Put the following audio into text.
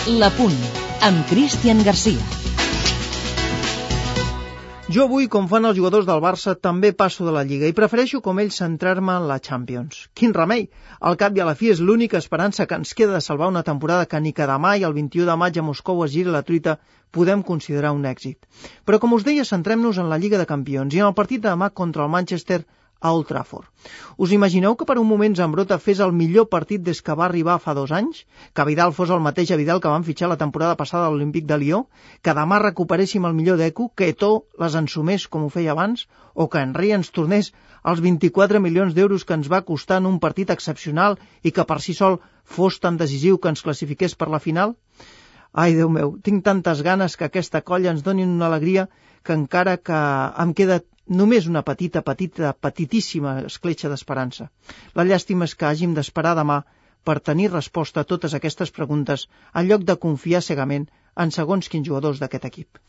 La Punt, amb Cristian Garcia. Jo avui, com fan els jugadors del Barça, també passo de la Lliga i prefereixo, com ells, centrar-me en la Champions. Quin remei! Al cap i a la fi és l'única esperança que ens queda de salvar una temporada que ni que demà i el 21 de maig a Moscou es giri la truita podem considerar un èxit. Però, com us deia, centrem-nos en la Lliga de Campions i en el partit de demà contra el Manchester a Old Trafford. Us imagineu que per un moment Zambrotta fes el millor partit des que va arribar fa 2 anys? Que Vidal fos el mateix Vidal que van fitxar la temporada passada a l'Olímpic de Lió? Que demà recuperéssim el millor d'Eco? Que Eto'o les ensumés com ho feia abans? O que Henry ens tornés els 24 milions d'euros que ens va costar en un partit excepcional i que per si sol fos tan decisiu que ens classifiqués per la final? Ai, Déu meu, tinc tantes ganes que aquesta colla ens doni una alegria que encara que em queda només una petitíssima escletxa d'esperança. La llàstima és que hàgim d'esperar demà per tenir resposta a totes aquestes preguntes en lloc de confiar cegament en segons quins jugadors d'aquest equip.